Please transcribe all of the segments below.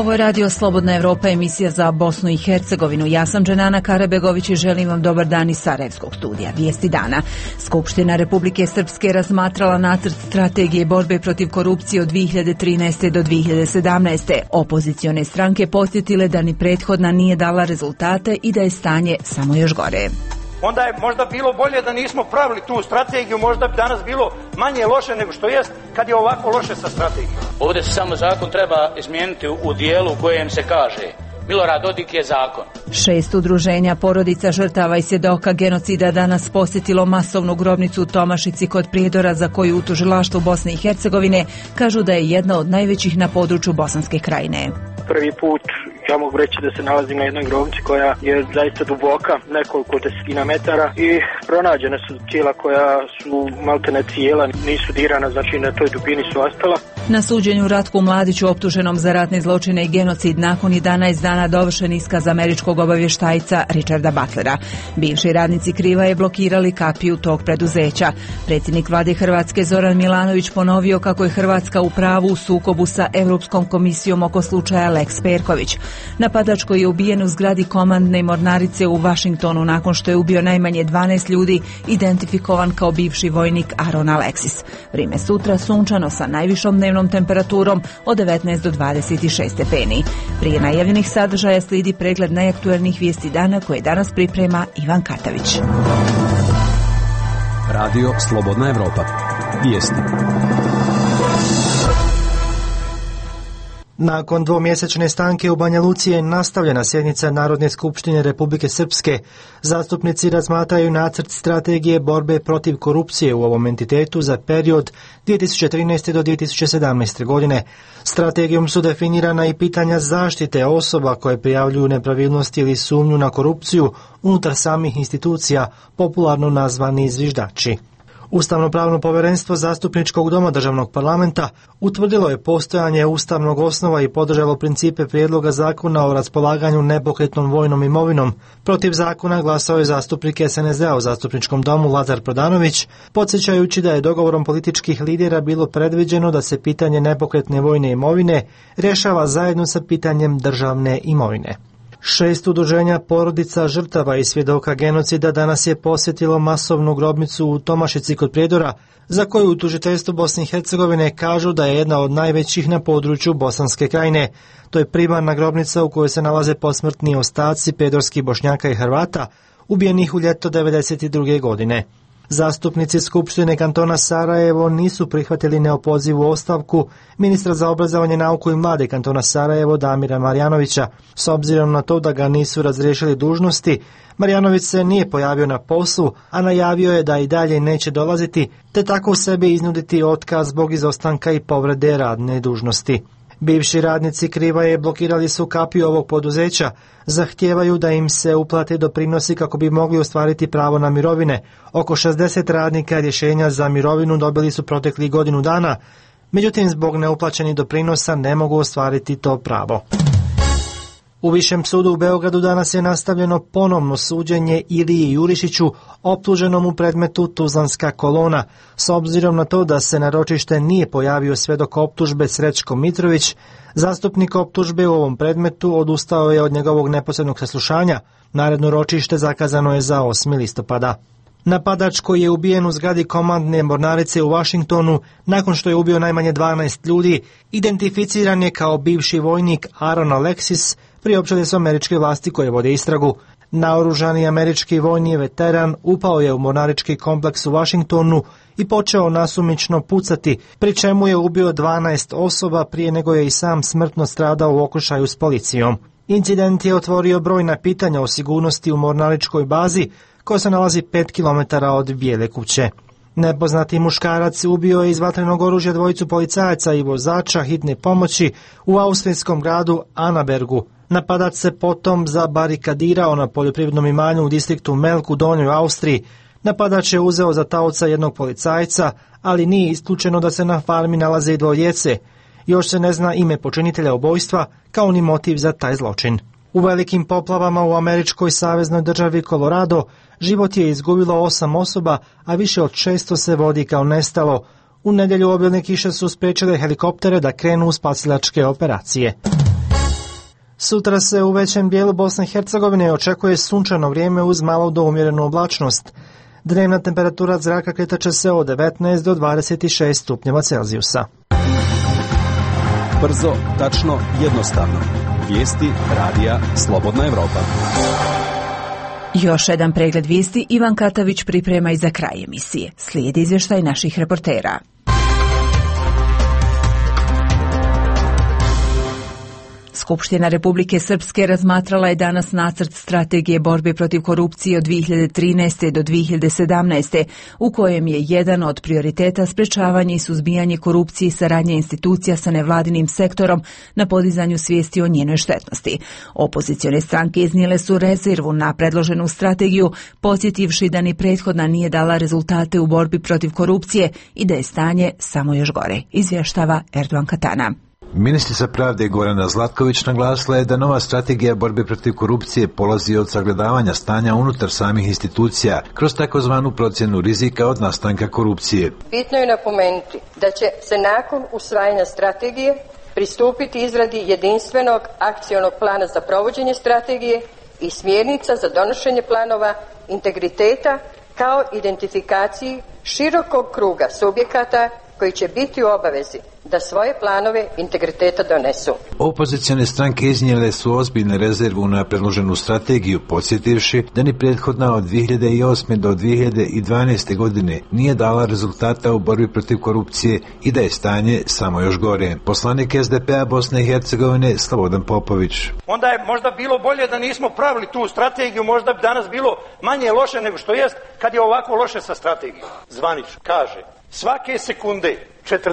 Ovo je Radio Slobodna Evropa, emisija za Bosnu i Hercegovinu. Ja sam Dženana Karabegović i želim vam dobar dan iz Sarajevskog studija. Vijesti dana. Skupština Republike Srpske razmatrala nacrt strategije borbe protiv korupcije od 2013. do 2017. Opozicione stranke podsjetile da ni prethodna nije dala rezultate i da je stanje samo još gore. Onda je možda bilo bolje da nismo pravili tu strategiju, možda bi danas bilo manje loše nego što jest kad je ovako loše sa strategijom. Ovdje se samo zakon treba izmijeniti u dijelu u kojem se kaže Milorad Dodik je zakon. 6 udruženja porodica žrtava i svjedoka genocida danas posjetilo masovnu grobnicu u Tomašici kod Prijedora, za koju u tužilaštvu Bosne i Hercegovine kažu da je jedna od najvećih na području Bosanske krajine. Prvi put ja mogu reći da se nalazim na jednoj grobnici koja je zaista duboka, nekoliko desetina metara, i pronađene su tijela koja su maltene cijela, nisu dirana, znači na toj dubini su ostala. Na suđenju Ratku Mladiću, optuženom za ratne zločine i genocid, nakon 11 dana dovršen iskaz američkog obavještajca Richarda Butlera. Bivši radnici Krivaje blokirali kapiju tog preduzeća. Predsjednik vlade Hrvatske Zoran Milanović ponovio kako je Hrvatska u pravu u sukobu sa Europskom komisijom oko slučaja Lex Perković. Napadač koji je ubijen u zgradi komandne mornarice u Washingtonu nakon što je ubio najmanje 12 ljudi, identifikovan kao bivši vojnik Aaron Alexis. Vrijeme sutra sunčano sa najvišom dnevnom temperaturom od 19 do 26 stepeni. Prije najavljenih sadržaja slijedi pregled najaktuelnijih vijesti dana koje danas priprema Ivan Katavić. Radio Slobodna Evropa. Vijesti. Nakon dvomjesečne stanke u Banja Luci je nastavljena sjednica Narodne skupštine Republike Srpske. Zastupnici razmatraju nacrt strategije borbe protiv korupcije u ovom entitetu za period 2013. do 2017. godine. Strategijom su definirana i pitanja zaštite osoba koje prijavljuju nepravilnosti ili sumnju na korupciju unutar samih institucija, popularno nazvani zviždači. Ustavno-pravno povjerenstvo Zastupničkog doma državnog parlamenta utvrdilo je postojanje ustavnog osnova i podržalo principe prijedloga zakona o raspolaganju nepokretnom vojnom imovinom. Protiv zakona glasao je zastupnik SNSD-a u Zastupničkom domu Lazar Prodanović, podsjećajući da je dogovorom političkih lidera bilo predviđeno da se pitanje nepokretne vojne imovine rješava zajedno sa pitanjem državne imovine. 6 udruženja porodica žrtava i svjedoka genocida danas je posjetilo masovnu grobnicu u Tomašici kod Prijedora, za koju u tužiteljstvu Bosne i Hercegovine kažu da je jedna od najvećih na području Bosanske krajine. To je primarna grobnica u kojoj se nalaze posmrtni ostaci prijedorskih Bošnjaka i Hrvata, ubijenih u ljeto 1992. godine. Zastupnici Skupštine kantona Sarajevo nisu prihvatili neopozivu ostavku ministra za obrazovanje, nauku i mlade kantona Sarajevo Damira Marjanovića. S obzirom na to da ga nisu razriješili dužnosti, Marjanović se nije pojavio na poslu, a najavio je da i dalje neće dolaziti, te tako sebi iznuditi otkaz zbog izostanka i povrede radne dužnosti. Bivši radnici Krivaje blokirali su kapiju ovog poduzeća, zahtijevaju da im se uplate doprinosi kako bi mogli ostvariti pravo na mirovine. Oko 60 radnika rješenja za mirovinu dobili su proteklih godinu dana, međutim zbog neuplaćenih doprinosa ne mogu ostvariti to pravo. U Višem sudu u Beogradu danas je nastavljeno ponovno suđenje Iliji Jurišiću, optuženom u predmetu Tuzlanska kolona. S obzirom na to da se na ročište nije pojavio svedok optužbe Srećko Mitrović, zastupnik optužbe u ovom predmetu odustao je od njegovog neposrednog saslušanja. Naredno ročište zakazano je za 8. listopada. Napadač koji je ubijen u zgradi komandne mornarice u Washingtonu nakon što je ubio najmanje 12 ljudi, identificiran je kao bivši vojnik Aaron Alexis, priopćile su američke vlasti koje vode istragu. Naoružani američki vojni veteran upao je u mornarički kompleks u Washingtonu i počeo nasumično pucati, pri čemu je ubio 12 osoba prije nego je i sam smrtno stradao u okršaju s policijom. Incident je otvorio brojna pitanja o sigurnosti u mornaričkoj bazi, koja se nalazi 5 km od Bijele kuće. Nepoznati muškarac ubio je iz vatrenog oružja dvojicu policajaca i vozača hitne pomoći u austrijskom gradu Anabergu. Napadač se potom zabarikadirao na poljoprivrednom imanju u distriktu Melk u Donjoj Austriji. Napadač je uzeo za taoca jednog policajca, ali nije isključeno da se na farmi nalaze i dvoje djece. Još se ne zna ime počinitelja ubojstva, kao ni motiv za taj zločin. U velikim poplavama u američkoj saveznoj državi Colorado život je izgubilo 8 osoba, a više od 600 se vodi kao nestalo. U nedjelju obilne kiše su spriječile helikoptere da krenu u spasilačke operacije. Sutra se u većem dijelu Bosne i Hercegovine očekuje sunčano vrijeme uz malo do umjerenu oblačnost. Dnevna temperatura zraka kretaće se od 19 do 26 stupnjeva Celzijusa. Brzo, tačno, jednostavno. Vijesti radija Slobodna Evropa. Još jedan pregled vijesti Ivan Katavić priprema i za kraj emisije. Slijedi izvještaj naših reportera. Skupština Republike Srpske razmatrala je danas nacrt strategije borbe protiv korupcije od 2013. do 2017. u kojem je jedan od prioriteta sprečavanje i suzbijanje korupcije i saradnje institucija sa nevladinim sektorom na podizanju svijesti o njenoj štetnosti. Opozicione stranke iznijele su rezervu na predloženu strategiju, podsjetivši da ni prethodna nije dala rezultate u borbi protiv korupcije i da je stanje samo još gore, izvještava Erdogan Katana. Ministrica pravde Gorana Zlatković naglasila je da nova strategija borbe protiv korupcije polazi od sagledavanja stanja unutar samih institucija kroz takozvanu procjenu rizika od nastanka korupcije. Bitno je napomenuti da će se nakon usvajanja strategije pristupiti izradi jedinstvenog akcionog plana za provođenje strategije i smjernica za donošenje planova integriteta kao identifikaciji širokog kruga subjekata koji će biti u obavezi da svoje planove integriteta donesu. Opozicione stranke iznijele su ozbiljne rezervu na predloženu strategiju, podsjetivši da ni prethodna od 2008. do 2012. godine nije dala rezultata u borbi protiv korupcije i da je stanje samo još gore. Poslanik SDP-a Bosne i Hercegovine Slobodan Popović. Onda je možda bilo bolje da nismo pravili tu strategiju, možda bi danas bilo manje loše nego što jest kad je ovako loše sa strategijom. Zvanič kaže, svake sekunde 47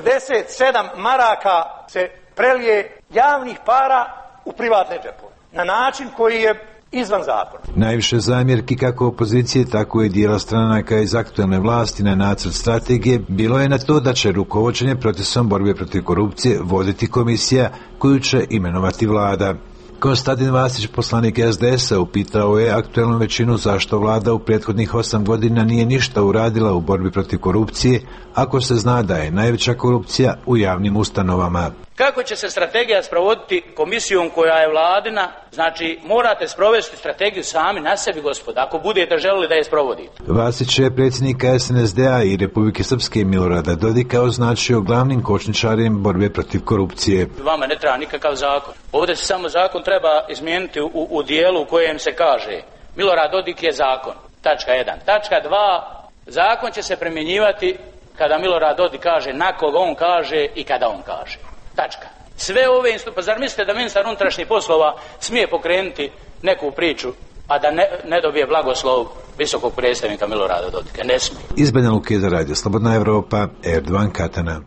maraka se prelije javnih para u privatne džepove na način koji je izvan zakona. Najviše zamjerki kako opozicije, tako i dijela stranaka iz aktualne vlasti na nacrt strategije bilo je na to da će rukovođenje procesom borbe protiv korupcije voditi komisija koju će imenovati vlada. Konstantin Vasić, poslanik SDS-a, upitao je aktualnu većinu zašto vlada u prethodnih 8 godina nije ništa uradila u borbi protiv korupcije, ako se zna da je najveća korupcija u javnim ustanovama. Kako će se strategija sprovoditi komisijom koja je vladina? Znači, morate sprovesti strategiju sami na sebi, gospoda, ako budete želeli da je sprovodite. Vasić je predsjednika SNSD-a i Republike Srpske Milorada Dodika označio glavnim kočničarem borbe protiv korupcije. Vama ne treba nikakav zakon. Ovdje se samo zakon treba izmijeniti u dijelu u kojem se kaže Milorad Dodik je zakon. Tačka 1. Tačka 2. Zakon će se primjenjivati kada Milorad Dodik kaže, na koga on kaže i kada on kaže. Tačka. Sve ove pa zar mislite da ministar unutrašnjih poslova smije pokrenuti neku priču, a da ne dobije blagoslov visokog predstavnika Milorada Dodika? Ne smije. Iz Banja Luke za radio Slobodna Evropa, Erdogan Katana.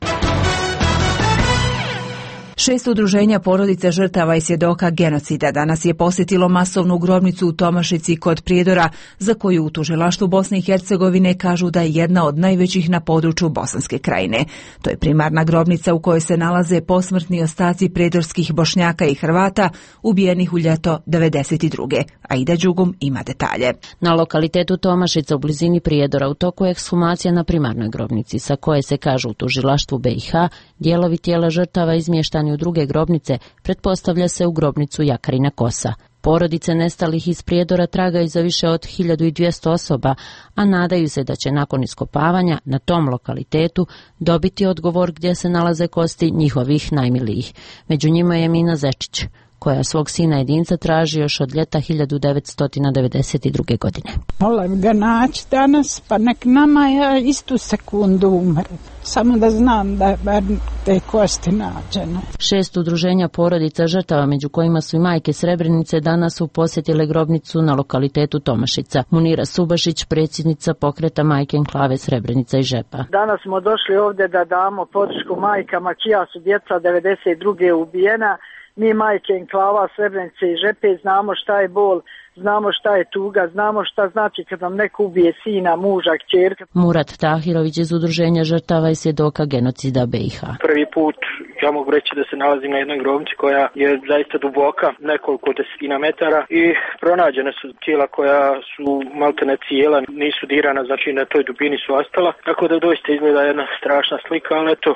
6 udruženja porodice žrtava i svjedoka genocida danas je posjetilo masovnu grobnicu u Tomašici kod Prijedora, za koju u tužilaštvu Bosne i Hercegovine kažu da je jedna od najvećih na području Bosanske krajine. To je primarna grobnica u kojoj se nalaze posmrtni ostaci prijedorskih Bošnjaka i Hrvata ubijenih u ljeto 1992. Aida Đugum ima detalje. Na lokalitetu Tomašica u blizini Prijedora u toku je ekshumacija na primarnoj grobnici, sa koje se kažu u tužilaštvu BiH dijelovi tijela žrtava izmještani u druge grobnice, pretpostavlja se u grobnicu Jakarina Kosa. Porodice nestalih iz Prijedora tragaju za više od 1200 osoba, a nadaju se da će nakon iskopavanja na tom lokalitetu dobiti odgovor gdje se nalaze kosti njihovih najmilijih. Među njima je Mina Zečić, koja svog sina jedinca traži još od ljeta 1992. godine. Volim ga naći danas, pa nek nama ja istu sekundu umre. Samo da znam da bar te kosti nađene. 6 udruženja porodica žrtava, među kojima su i majke Srebrenice, danas su posjetile grobnicu na lokalitetu Tomašica. Munira Subašić, predsjednica pokreta Majke enklave Srebrenica i Žepa. Danas smo došli ovdje da damo podršku majkama čija su djeca 92. ubijena. Mi majke enklava Srebrenice i Žepe znamo šta je bol, znamo šta je tuga, znamo šta znači kad nam neko ubije sina, muža, kćerka. Murat Tahirović iz udruženja žrtava i svjedoka genocida BiH. Prvi put ja mogu reći da se nalazim na jednoj grobnici koja je zaista duboka, nekoliko desetina metara i pronađene su tijela koja su maltene cijela, nisu dirana, znači na toj dubini su ostala, tako da doista izgleda jedna strašna slika, ali eto,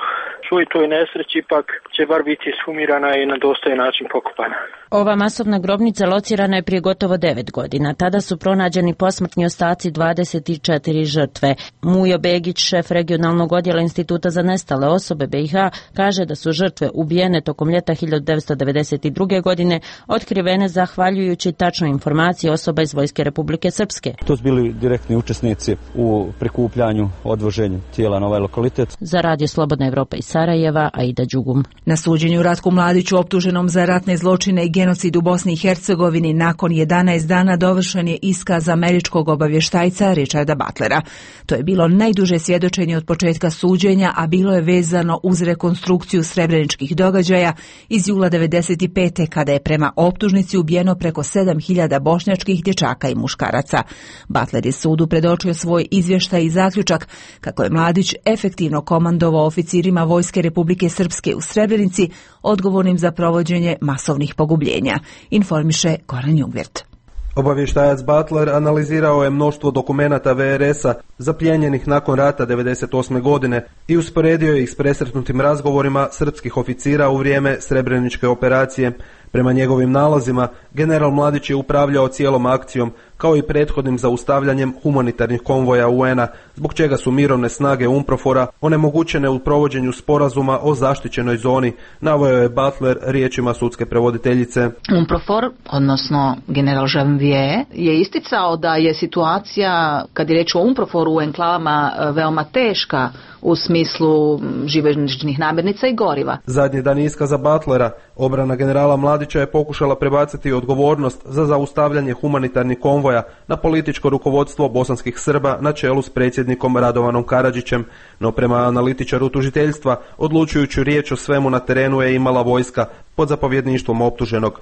svoj toj nesreći ipak će bar biti ishumirana i na dostojan način pokopana. Ova masovna grobnica locirana je prije gotovo 9 godina. Tada su pronađeni posmrtni ostaci 24 žrtve. Mujo Begić, šef regionalnog odjela Instituta za nestale osobe BiH, kaže da su žrtve ubijene tokom ljeta 1992. godine otkrivene zahvaljujući tačnoj informaciji osoba iz Vojske Republike Srpske. To su bili direktni učesnici u prikupljanju, odvoženju tijela na ovaj lokalitet. Za Radio Slobodna Evropa iz Sarajeva, Aida Đugum. Na suđenju Ratku Mladiću, optuženom za ratne zločine i genocid u Bosni i Hercegovini, nakon 11 dana dovršen je iskaz američkog obavještajca Richarda Butlera. To je bilo najduže svjedočenje od početka suđenja, a bilo je vezano uz rekonstrukciju srebreničkih događaja iz jula 1995. kada je prema optužnici ubijeno preko 7000 bošnjačkih dječaka i muškaraca. Butler je sudu predočio svoj izvještaj i zaključak kako je Mladić efektivno komandovao oficirima Vojske Republike Srpske u Srebrenici, odgovornim za provođenje masovnih pogubljenja, informiše Goran Jungwirth. Obavještajac Butler analizirao je mnoštvo dokumenata VRS-a zaplijenjenih nakon rata 1998. godine i usporedio ih s presretnutim razgovorima srpskih oficira u vrijeme Srebreničke operacije. Prema njegovim nalazima, general Mladić je upravljao cijelom akcijom, kao i prethodnim zaustavljanjem humanitarnih konvoja UN-a, zbog čega su mirovne snage UNPROFOR-a onemogućene u provođenju sporazuma o zaštićenoj zoni, naveo je Butler riječima sudske prevoditeljice. UNPROFOR, odnosno general Janvier, je isticao da je situacija, kad je reč o UNPROFOR-u u enklavama, veoma teška u smislu živežničnih namirnica i goriva. Zadnji dan iskaza Butlera, obrana generala Mladića je pokušala prebaciti odgovornost za zaustavljanje humanitarnih konvoja na političko rukovodstvo bosanskih Srba na čelu s predsjednikom Radovanom Karadžićem, no prema analitičaru tužiteljstva odlučujuću riječ o svemu na terenu je imala vojska pod zapovjedništvom optuženog.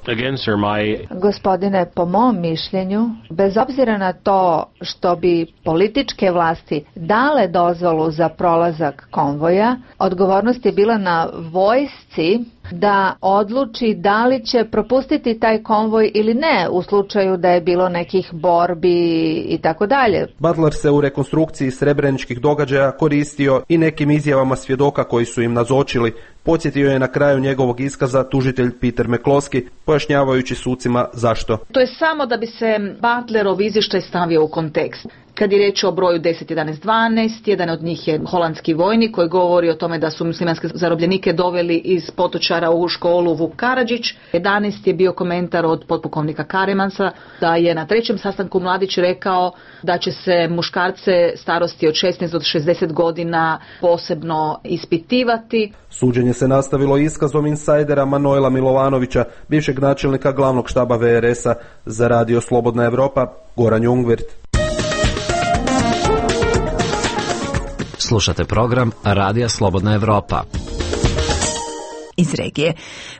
Gospodine, po mom mišljenju, bez obzira na to što bi političke vlasti dale dozvolu za prolazak konvoja, odgovornost je bila na vojsci da odluči da li će propustiti taj konvoj ili ne u slučaju da je bilo nekih borbi i tako dalje. Butler se u rekonstrukciji srebreničkih događaja koristio i nekim izjavama svjedoka koji su im nazočili. Podsjetio je na kraju njegovog iskaza tužitelj Peter McCloskey, pojašnjavajući sucima zašto. To je samo da bi se Butlerov izvještaj stavio u kontekst. Kad je riječ o broju 10, 11, 12, jedan od njih je holandski vojnik koji govori o tome da su muslimanske zarobljenike doveli iz Potočara u školu Vuk Karadžić. 11 je bio komentar od potpukovnika Karemansa da je na trećem sastanku Mladić rekao da će se muškarce starosti od 16 do 60 godina posebno ispitivati. Suđenje se nastavilo iskazom insajdera Manojla Milovanovića, bivšeg načelnika glavnog štaba VRS-a. Za Radio Slobodna Evropa, Goran Jungwirth. Slušate program Radija Slobodna Evropa. Iz regije.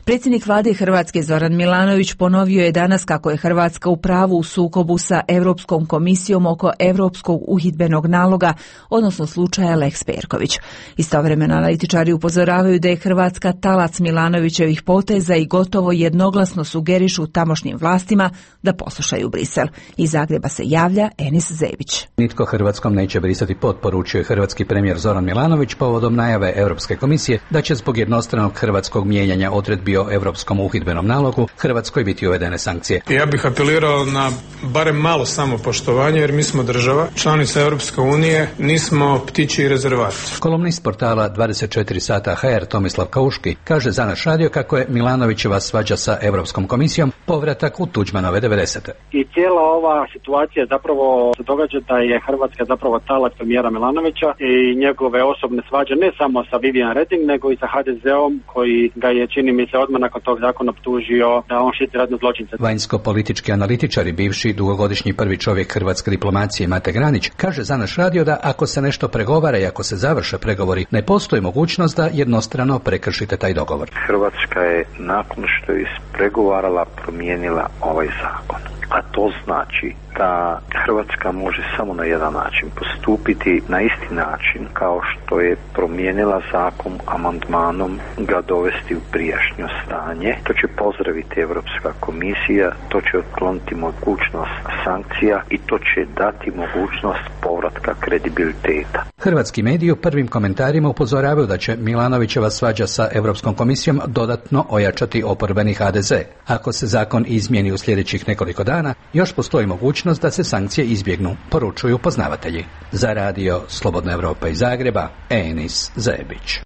Predsjednik vlade Hrvatske Zoran Milanović ponovio je danas kako je Hrvatska u pravu u sukobu sa Europskom komisijom oko Europskog uhidbenog naloga, odnosno slučaja Lex Perković. Istovremeno analitičari upozoravaju da je Hrvatska talac Milanovićevih poteza i gotovo jednoglasno sugerišu tamošnjim vlastima da poslušaju Brisel. Iz Zagreba se javlja Enis Zebić. Nitko Hrvatskom neće brisati pod, poručio je hrvatski premijer Zoran Milanović povodom najave Europske komisije da će zbog jednostranog hrvatskog mijenjanja odredbi o Europskom uhidbenom nalogu Hrvatskoj biti uvedene sankcije. Ja bih apelirao na barem malo samopoštovanje, jer mi smo država, članica Europske unije, nismo ptičji rezervat. Kolumnist portala 24 sata HR Tomislav Kauški kaže za naš radio kako je Milanovićeva svađa sa Europskom komisijom povratak u Tuđmanove 90. I cijela ova situacija zapravo se događa da je Hrvatska zapravo talac premijera Milanovića i njegove osobne svađe ne samo sa Vivian Reding nego i sa HDZ-om koji ga je, čini mi se, odmah nakon tog zakona optužio da on štiti ratne zločince. Vanjsko-politički analitičar i bivši dugogodišnji prvi čovjek hrvatske diplomacije Mate Granić kaže za naš radio da ako se nešto pregovara i ako se završe pregovori, ne postoji mogućnost da jednostrano prekršite taj dogovor. Hrvatska je nakon što je ispregovarala promijenila ovaj zakon. A to znači da Hrvatska može samo na jedan način postupiti, na isti način kao što je promijenila zakon amandmanom ga dovesti u prijašnjo stanje. To će pozdraviti Europska komisija, to će otkloniti mogućnost sankcija i to će dati mogućnost povratka kredibiliteta. Hrvatski mediji u prvim komentarima upozoravaju da će Milanovićeva svađa sa Europskom komisijom dodatno ojačati oporbeni HDZ. Ako se zakon izmijeni u sljedećih nekoliko dana, još postoji mogućnost da se sankcije izbjegnu, poručuju poznavatelji. Za radio Slobodna Evropa iz Zagreba, Enis Zebić.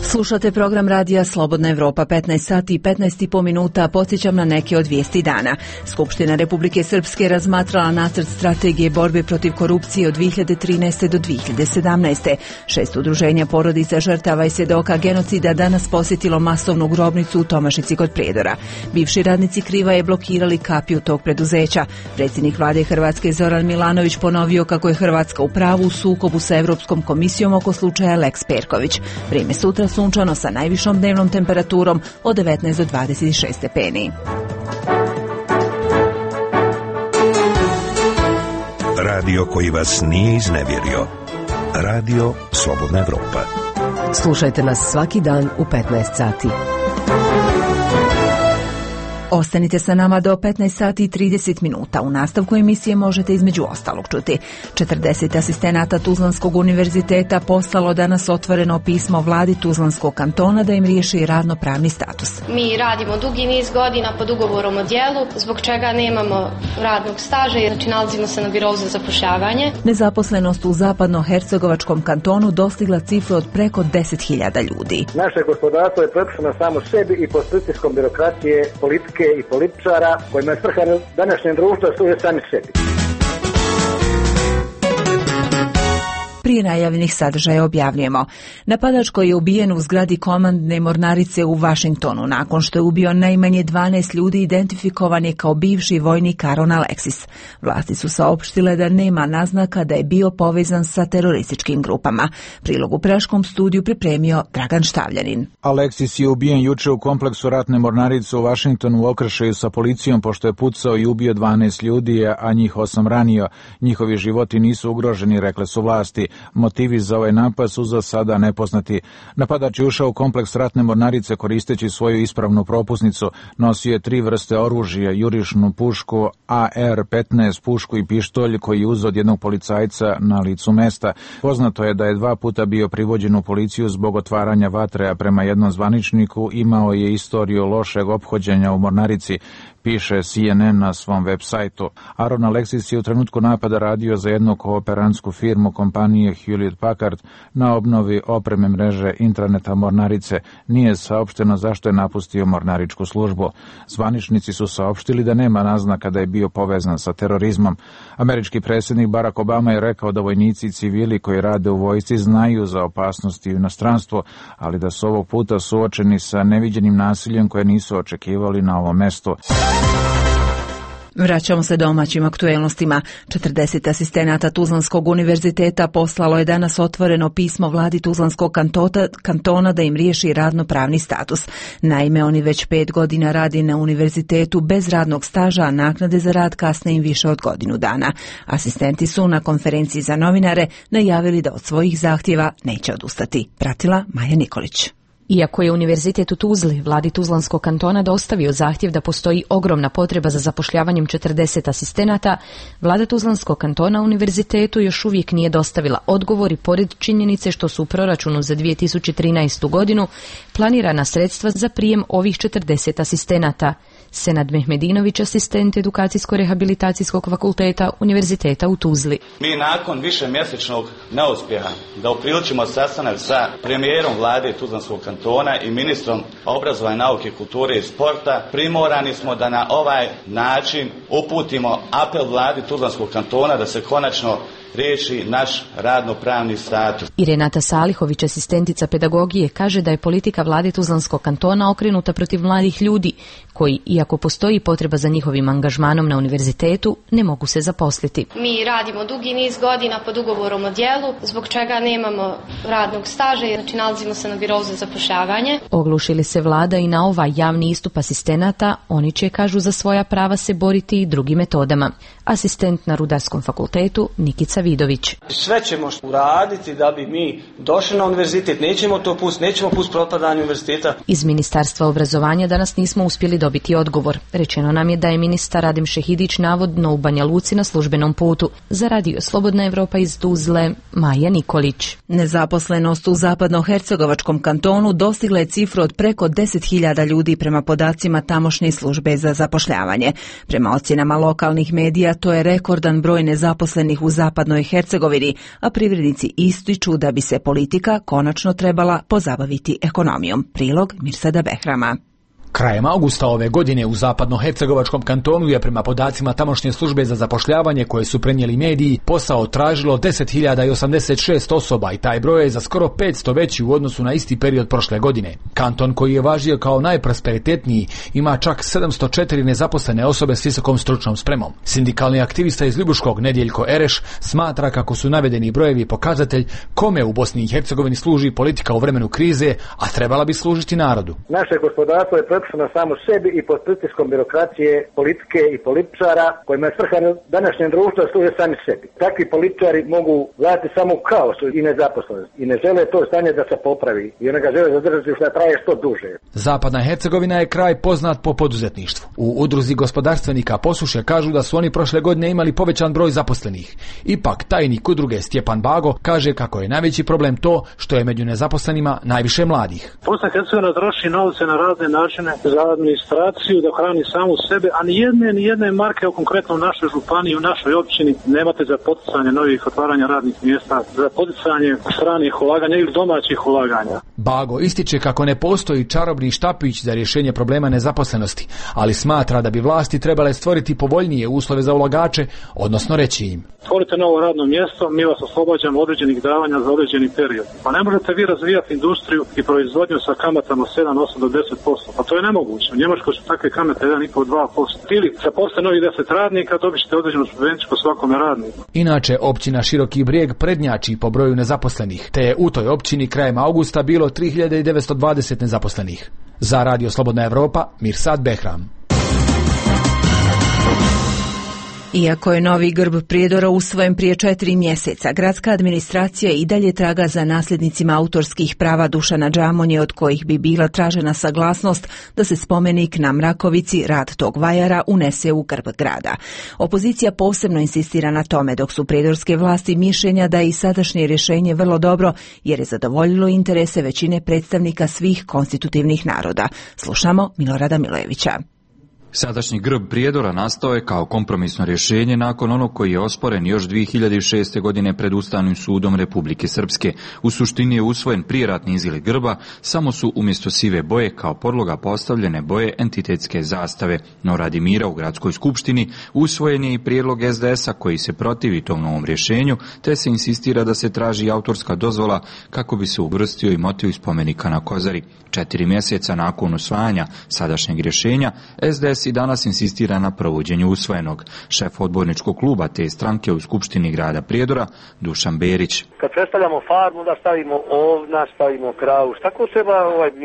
Slušate program radija Slobodna Evropa, 15 sati i 15,5 minuta. Podsjećam na neke od vijesti dana. Skupština Republike Srpske razmatrala nacrt strategije borbe protiv korupcije od 2013. do 2017. 6 udruženja porodica žrtava i svjedoka genocida danas posjetilo masovnu grobnicu u Tomašici kod Prijedora. Bivši radnici Krivaje blokirali kapiju tog preduzeća. Predsjednik vlade Hrvatske Zoran Milanović ponovio kako je Hrvatska u pravu u sukobu sa Europskom komisijom oko slučaja Lex Perković. Vrijeme sutra sunčano sa najvišom dnevnom temperaturom od 19 do 26 stepeni. Radio koji vas nije iznevjerio. Radio Slobodna Evropa. Slušajte nas svaki dan u 15 sati. Ostanite sa nama do 15 sati i 30 minuta. U nastavku emisije možete između ostalog čuti. 40 asistenata Tuzlanskog univerziteta poslalo danas otvoreno pismo vladi Tuzlanskog kantona da im riješi radno-pravni status. Mi radimo dugi niz godina pod ugovorom o djelu, zbog čega nemamo radnog staža, znači nalazimo se na birovu za zapošljavanje. Nezaposlenost u zapadno-hercegovačkom kantonu dostigla cifru od preko 10.000 ljudi. Naše gospodarstvo je prepušteno samo sebi i pod pritiskom birokracije, politike i političara kojima je svrha današnjem društvu da služe sami sebi. Prije najavljenih sadržaja objavljujemo. Napadač koji je ubijen u zgradi komandne mornarice u Vašingtonu nakon što je ubio najmanje 12 ljudi identifikovan je kao bivši vojnik Aaron Alexis. Vlasti su saopštile da nema naznaka da je bio povezan sa terorističkim grupama. Prilog u Praškom studiju pripremio Dragan Štavljanin. Alexis je ubijen juče u kompleksu ratne mornarice u Vašingtonu u okršaju sa policijom pošto je pucao i ubio 12 ljudi, a njih 8 ranio. Njihovi životi nisu ugroženi, rekle su vlasti. Motivi za ovaj napad su za sada nepoznati. Napadač je ušao u kompleks ratne mornarice koristeći svoju ispravnu propusnicu. Nosio je 3 vrste oružja, jurišnu pušku, AR-15 pušku i pištolj koji je uzeo od jednog policajca na licu mesta. Poznato je da je 2 puta bio privođen u policiju zbog otvaranja vatre, a prema jednom zvaničniku imao je istoriju lošeg ophođenja u mornarici, piše CNN na svom web sajtu. Aaron Alexis je u trenutku napada radio za jednu kooperantsku firmu kompanije Hewlett Packard na obnovi opreme mreže intraneta mornarice. Nije saopšteno zašto je napustio mornaričku službu. Zvaničnici su saopštili da nema naznaka da je bio povezan sa terorizmom. Američki predsjednik Barack Obama je rekao da vojnici i civili koji rade u vojsci znaju za opasnosti u inostranstvu, ali da su ovog puta suočeni sa neviđenim nasiljem koje nisu očekivali na ovom mestu. Vraćamo se domaćim aktuelnostima. 40 asistenata Tuzlanskog univerziteta poslalo je danas otvoreno pismo vladi Tuzlanskog kantona da im riješi radno-pravni status. Naime, oni već 5 godina radi na univerzitetu bez radnog staža, a naknade za rad kasne im više od godinu dana. Asistenti su na konferenciji za novinare najavili da od svojih zahtjeva neće odustati. Pratila Maja Nikolić. Iako je univerzitet u Tuzli, vladi Tuzlanskog kantona dostavio zahtjev da postoji ogromna potreba za zapošljavanjem 40 asistenata, vlada Tuzlanskog kantona univerzitetu još uvijek nije dostavila odgovor i pored činjenice što su u proračunu za 2013. godinu planirana sredstva za prijem ovih 40 asistenata. Senad Mehmedinović, asistent Edukacijsko-rehabilitacijskog fakulteta Univerziteta u Tuzli. Mi nakon višemjesečnog neuspjeha da upriličimo sastanak sa premijerom vlade Tuzlanskog kantona i ministrom obrazovanja, nauke, kulture i sporta, primorani smo da na ovaj način uputimo apel vladi Tuzlanskog kantona da se konačno riješi naš radno-pravni status. I Renata Salihović, asistentica pedagogije, kaže da je politika vlade Tuzlanskog kantona okrenuta protiv mladih ljudi koji, iako postoji potreba za njihovim angažmanom na univerzitetu, ne mogu se zaposliti. Mi radimo dugi niz godina pod ugovorom o djelu, zbog čega nemamo radnog staža, znači nalazimo se na birovu za zapošljavanje. Oglušili se vlada i na ovaj javni istup asistenata, oni će, kažu, za svoja prava se boriti i drugim metodama. Asistent na Rudarskom fakultetu Nikica Vidović. Sve ćemo uraditi da bi mi došli na univerzitet, nećemo to pustiti, nećemo pustiti propadanje univerziteta. Iz Ministarstva obrazovanja danas nismo uspjeli dobiti odgovor. Rečeno nam je da je ministar Radim Šehidić navodno u Banja Luci na službenom putu. Za Radio Slobodna Evropa iz Tuzle, Maja Nikolić. Nezaposlenost u zapadnohercegovačkom kantonu dostigla je cifru od preko 10.000 ljudi prema podacima tamošnje službe za zapošljavanje. Prema ocjenama lokalnih medija, to je rekordan broj nezaposlenih u zapadnoj Hercegovini, a privrednici ističu da bi se politika konačno trebala pozabaviti ekonomijom. Prilog Mirsada Behrama. Krajem augusta ove godine u zapadnohercegovačkom kantonu je prema podacima tamošnje službe za zapošljavanje koje su prenijeli mediji posao tražilo 10.086 osoba i taj broj je za skoro 500 veći u odnosu na isti period prošle godine. Kanton koji je važio kao najprosperitetniji ima čak 704 nezaposlene osobe s visokom stručnom spremom. Sindikalni aktivista iz Ljubuškog Nedjeljko Ereš smatra kako su navedeni brojevi pokazatelj kome u Bosni i Hercegovini služi politika u vremenu krize, a trebala bi služiti narodu. Naše gospodarstvo je na samo sebi i pod pritiskom birokracije, politike i političara kojima je svrha današnjem društvu služe sami sebi. Takvi političari mogu vladati samo u kaosu i nezaposlenosti i ne žele to stanje da se popravi i one ga žele zadržati što traje što duže. Zapadna Hercegovina je kraj poznat po poduzetništvu. U udruzi gospodarstvenika Posuše kažu da su oni prošle godine imali povećan broj zaposlenih. Ipak tajnik udruge Stjepan Bago kaže kako je najveći problem to što je među nezaposlenima najviše mladih. Bosna i Hercegovina troši novce na razne načine za administraciju, da hrani samu sebe, a ni jedne marke u konkretno u našoj županiji, u našoj općini nemate za poticanje novih otvaranja radnih mjesta, za poticanje stranih ulaganja ili domaćih ulaganja. Bago ističe kako ne postoji čarobni štapić za rješenje problema nezaposlenosti, ali smatra da bi vlasti trebale stvoriti povoljnije uslove za ulagače, odnosno reći im: Stvorite novo radno mjesto, mi vas oslobađamo određenih davanja za određeni period. Pa ne možete vi razvijati industriju i proizvodnju sa kamatama 7, 8 do 10%. Pa to je nemoguće. U Njemačkoj su takve kamate 1,5-2%. Ili zaposle novih 10 radnika, dobit ćete određenu subvenciju po svakome radniku. Inače, općina Široki Brijeg prednjači po broju nezaposlenih, te je u toj općini krajem augusta bilo 3.920 nezaposlenih. Za Radio Slobodna Evropa, Mirsad Behram. Iako je novi grb Prijedora usvojen prije 4 mjeseca, gradska administracija i dalje traga za nasljednicima autorskih prava Dušana Džamonje, od kojih bi bila tražena saglasnost da se spomenik na Mrakovici, rad tog vajara, unese u grb grada. Opozicija posebno insistira na tome, dok su prijedorske vlasti mišljenja da je i sadašnje rješenje vrlo dobro, jer je zadovoljilo interese većine predstavnika svih konstitutivnih naroda. Slušamo Milorada Milojevića. Sadašnji grb Prijedora nastao je kao kompromisno rješenje nakon onog koji je osporen još 2006. godine pred Ustavnim sudom Republike Srpske. U suštini je usvojen prijeratni izgled grba, samo su umjesto sive boje kao podloga postavljene boje entitetske zastave. No radi mira u gradskoj skupštini usvojen je i prijedlog SDS-a koji se protivi tom novom rješenju, te se insistira da se traži autorska dozvola kako bi se uvrstio i motiv spomenika na Kozari. 4 mjeseca nakon usvajanja sadašnjeg rješenja, SDS i danas insistira na provođenju usvojenog. Šef odborničkog kluba te stranke u Skupštini grada Prijedora, Dušan Berić. Kad predstavljamo farmu, da stavimo ovna, stavimo kravu. Tako treba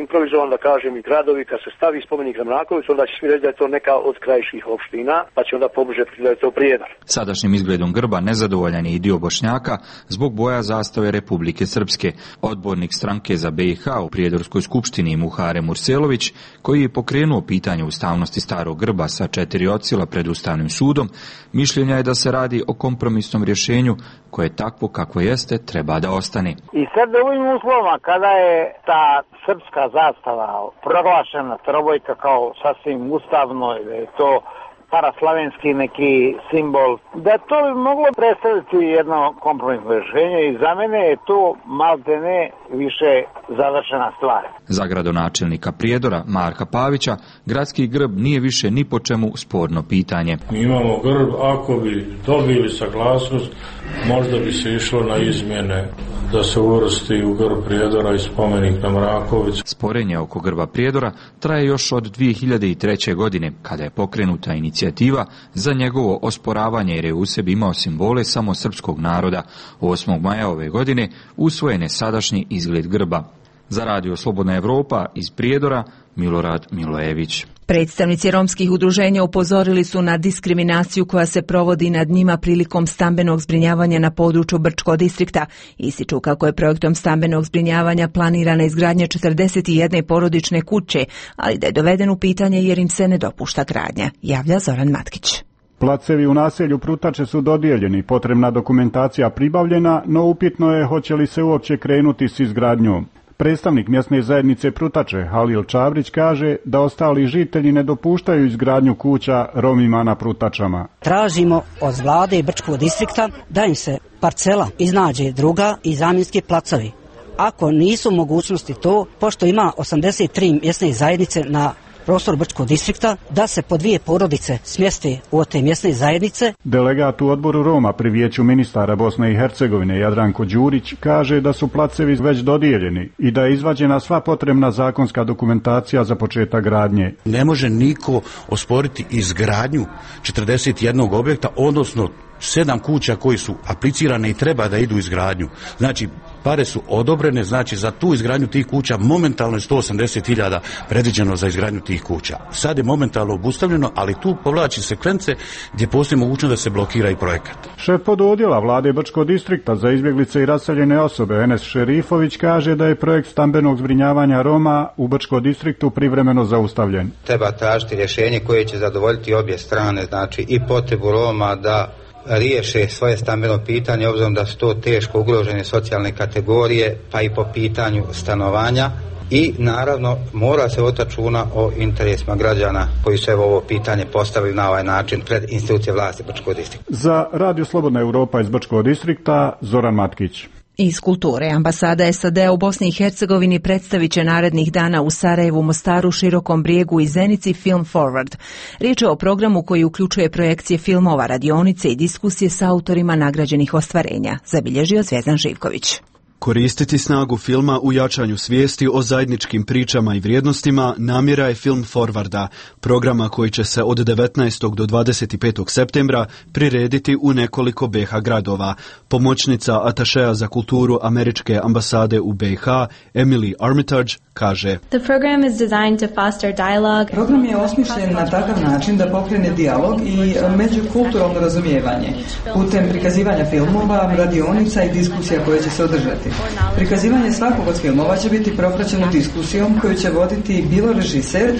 improvizovano da kažem i gradovi, kad se stavi spomenik na Mrakovicu, onda će svi reći da je to neka od krajiških opština, pa će onda pobliže da je to Prijedor. Sadašnjim izgledom grba nezadovoljan je i dio Bošnjaka zbog boja zastave Republike Srpske. Odbornik stranke za BiH u Prijedorskoj skupštini Muhare Murselović, koji je pokrenuo pitanje ustavnosti starog grba sa 4 odsjela pred Ustavnim sudom, mišljenja je da se radi o kompromisnom rješenju koje takvo kakvo jeste treba da ostane. I sad u ovim uslovima kada je ta srpska zastava proglašena trobojka kao sasvim ustavno, da je to paraslavenski neki simbol, da to bi moglo predstaviti jedno kompromisno rješenje i za mene je to maltene više završena stvar. Za gradonačelnika Prijedora Marka Pavića gradski grb nije više ni po čemu sporno pitanje. Mi imamo grb, ako bi dobili saglasnost, možda bi se išlo na izmjene da se uvrsti u grb Prijedora i spomenik na Mraković. Sporenje oko grba Prijedora traje još od 2003. godine, kada je pokrenuta inicijativa za njegovo osporavanje jer je u sebi imao simbole samo srpskog naroda. 8. maja ove godine usvojen je sadašnji izgled grba. Za Radio Slobodna Evropa iz Prijedora, Milorad Milojević. Predstavnici romskih udruženja upozorili su na diskriminaciju koja se provodi nad njima prilikom stambenog zbrinjavanja na području Brčkog distrikta. Ističu kako je projektom stambenog zbrinjavanja planirana izgradnja 41 porodične kuće, ali da je doveden u pitanje jer im se ne dopušta gradnja, javlja Zoran Matkić. Placevi u naselju Prutače su dodijeljeni, potrebna dokumentacija pribavljena, no upitno je hoće li se uopće krenuti s izgradnjom. Predstavnik mjesne zajednice Prutače, Halil Čavrić, kaže da ostali žitelji ne dopuštaju izgradnju kuća Romima na Prutačama. Tražimo od vlade Brčkog distrikta da im se parcela iznađe druga i zamjenski placovi. Ako nisu mogućnosti to, pošto ima 83 mjesne zajednice na prostor Brčkog distrikta, da se po 2 porodice smjeste u te mjesne zajednice. Delegat u odboru Roma pri vijeću ministara Bosne i Hercegovine Jadranko Đurić kaže da su placevi već dodijeljeni i da je izvađena sva potrebna zakonska dokumentacija za početak gradnje. Ne može niko osporiti izgradnju 41 objekta, odnosno 7 kuća koji su aplicirane i treba da idu u izgradnju. Znači, pare su odobrene, znači za tu izgradnju tih kuća momentalno je 180.000 predviđeno za izgradnju tih kuća. Sad je momentalno obustavljeno, ali tu povlači sekvence gdje postoji mogućnost da se blokira i projekat. Šef pododjela vlade Brčkog distrikta za izbjeglice i raseljene osobe Enes Šerifović kaže da je projekt stambenog zbrinjavanja Roma u Brčkom distriktu privremeno zaustavljen. Treba tražiti rješenje koje će zadovoljiti obje strane, znači i potrebu Roma da riješe svoje stambeno pitanje, obzirom da su to teško ugrožene socijalne kategorije, pa i po pitanju stanovanja. I naravno mora se voditi računa o interesima građana koji su ovo pitanje postavili na ovaj način pred institucije vlasti Brčkog distrikta. Za Radio Slobodna Europa iz Brčkog distrikta, Zoran Matkić. Iz kulture, ambasada SAD u Bosni i Hercegovini predstavit će narednih dana u Sarajevu, Mostaru, Širokom Brijegu i Zenici Film Forward. Riječ je o programu koji uključuje projekcije filmova, radionice i diskusije s autorima nagrađenih ostvarenja, zabilježio Zvezdan Živković. Koristiti snagu filma u jačanju svijesti o zajedničkim pričama i vrijednostima namjera je Film Forwarda, programa koji će se od 19. do 25. septembra prirediti u nekoliko BiH gradova. Pomoćnica atašeja za kulturu američke ambasade u BiH, Emily Armitage, kaže: Program je osmišljen na takav način da pokrene dijalog i međukulturalno razumijevanje putem prikazivanja filmova, radionica i diskusija koje će se održati. Prikazivanje svakog od filmova će biti propraćeno diskusijom koju će voditi bilo režiser,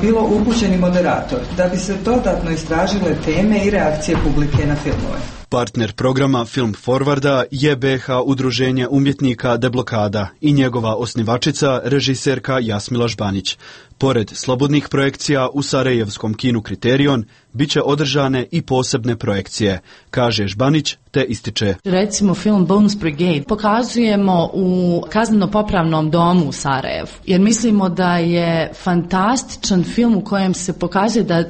bilo upućeni moderator, da bi se dodatno istražile teme i reakcije publike na filmove. Partner programa Film Forwarda je BiH udruženje umjetnika Deblokada i njegova osnivačica, režiserka Jasmila Žbanić. Pored slobodnih projekcija u sarajevskom kinu Kriterion, bit će održane i posebne projekcije, kaže Žbanić, te ističe: Recimo film Bones Brigade pokazujemo u kazneno-popravnom domu u Sarajevu, jer mislimo da je fantastičan film u kojem se pokazuje da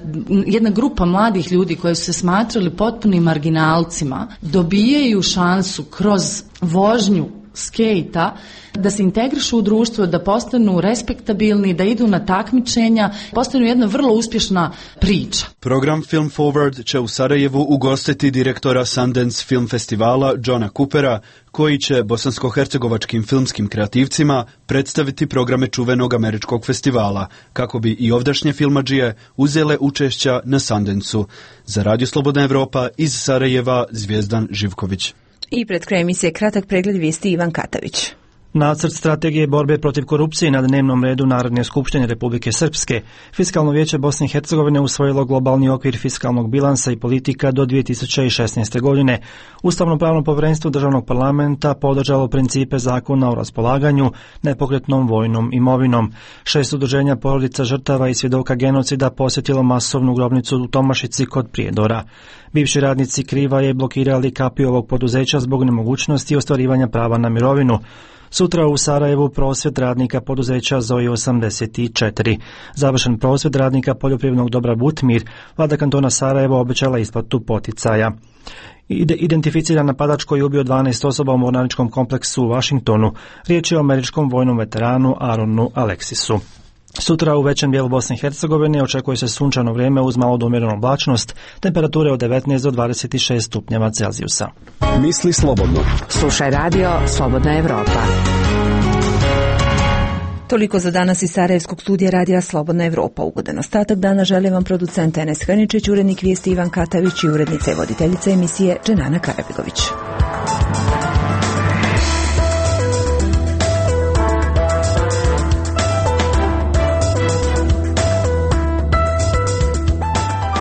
jedna grupa mladih ljudi koji su se smatrali potpunim marginalcima dobijaju šansu kroz vožnju skejta da se integrišu u društvo, da postanu respektabilni, da idu na takmičenja, postanu jedna vrlo uspješna priča. Program Film Forward će u Sarajevu ugostiti direktora Sundance Film Festivala Johna Coopera, koji će bosansko-hercegovačkim filmskim kreativcima predstaviti programe čuvenog američkog festivala, kako bi i ovdašnje filmadžije uzele učešća na Sundance-u. Za Radio Slobodna Evropa iz Sarajeva, Zvijezdan Živković. I pred krajem emisije kratak pregled vijesti Ivan Katavić. Nacrt strategije borbe protiv korupcije na dnevnom redu Narodne skupštine Republike Srpske. Fiskalno vijeće Bosne i Hercegovine usvojilo globalni okvir fiskalnog bilansa i politika do 2016. godine. Ustavno-pravno povjerenstvo državnog parlamenta podržalo principe zakona o raspolaganju nepokretnom vojnom imovinom. 6 udruženja porodica žrtava i svjedoka genocida posjetilo masovnu grobnicu u Tomašici kod Prijedora. Bivši radnici Krivaje blokirali kapiju ovog poduzeća zbog nemogućnosti ostvarivanja prava na mirovinu. Sutra u Sarajevu prosvjed radnika poduzeća Zoe 84. Završen prosvjed radnika poljoprivrednog dobra Butmir, vlada kantona Sarajevo obećala isplatu poticaja. Identificiran napadač koji je ubio 12 osoba u mornaričkom kompleksu u Washingtonu. Riječ je o američkom vojnom veteranu Aronu Aleksisu. Sutra u većem dijelu Bosne i Hercegovine očekuje se sunčano vrijeme uz malo do umjerenu oblačnost, temperature od 19 do 26 stupnjeva Celzijusa. Misli slobodno. Slušaj radio Slobodna Evropa. Toliko za danas iz Sarajevskog studija radija Slobodna Evropa. Ugodan ostatak dana želim vam producent Enes Hrničić, urednik vijesti Ivan Katavić i urednica i voditeljica emisije Dženana Karabegović.